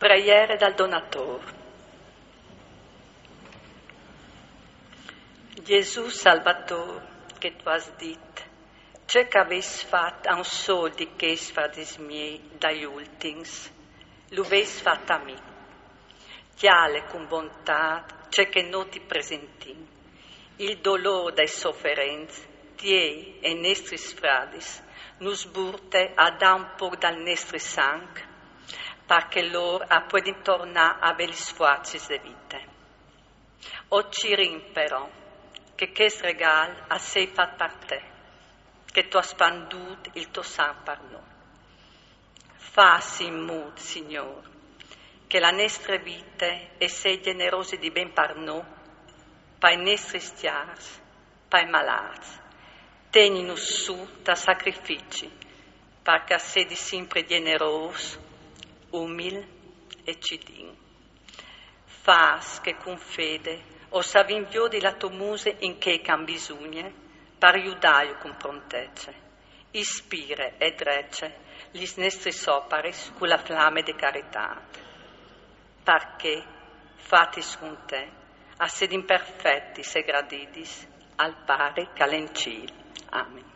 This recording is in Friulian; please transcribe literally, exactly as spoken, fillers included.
Preiere dal Donator. Gesù Salvator, che tu âs dit: ce che vês fat a un sôl di chescj fradis miei dai ultins, lu vês fat a mi. Cjale cun bontât ce che nô ti presentìn. Il dolôr dai soferents tiei e nestris fradis nus burte a dâ un pôc dal nestri sanc, par che lôr a puedin tornâ a vê lis fuarcis de vite. O cirìn però che chest regâl al sei fat par te, che tu âs spandût il to sanc par nô. Fâs in mût, Signôr, che la nestre vite e sei gjenerosi di ben par nô, pai nestris cjars, pai malâts. Tegninus sù tal sacrifici, par che a sedi simpri gjenerôs, umil e cidin. Fâs che cun fede o savìn viodi la tô muse in chei che a àn bisugne, par judâju cun prontece. Ispire e drece lis nestris oparis cu la flame de caritât, par che, fatis cun te, a sedin perfetis e gradidis al Pari che al è in cîl. Amen.